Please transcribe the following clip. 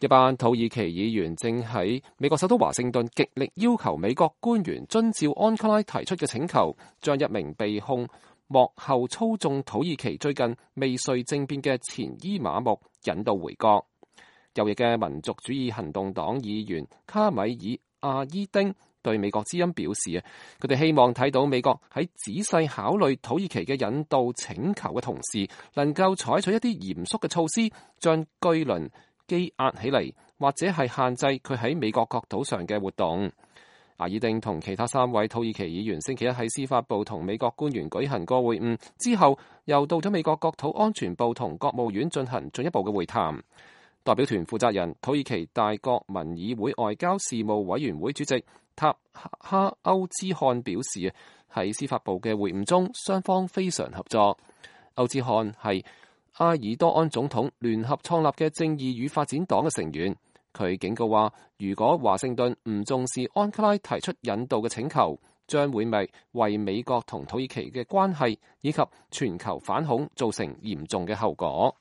一班土耳其議員正喺美國首都華盛頓極力要求美國官員遵照安卡拉提出嘅請求，將一名被控幕後操縱土耳其最近未遂政變嘅前伊瑪目引渡回國。右翼嘅民族主義行動黨議員卡米爾阿伊丁對美國之音表示，佢哋希望睇到美國喺仔細考慮土耳其嘅引渡請求嘅同時，能夠採取一啲嚴肅嘅措施，將居倫羈押起嚟，或者係限制佢喺美國國土上嘅活動。阿爾丁同其他3位土耳其議員星期一喺司法部同美國官員舉行過會晤之後，又到咗美國國土安全部同國務院進行進一步嘅會談。代表團負責人土耳其大國民議會外交事務委員會主席塔哈歐茲漢表示，喺司法部嘅會晤中，雙方非常合作。歐茲漢係埃爾多安總統聯合創立嘅正義與發展黨嘅成員，佢警告話，如果華盛頓唔重視安卡拉提出引渡嘅請求，將會為美國同土耳其嘅關係以及全球反恐造成嚴重嘅後果。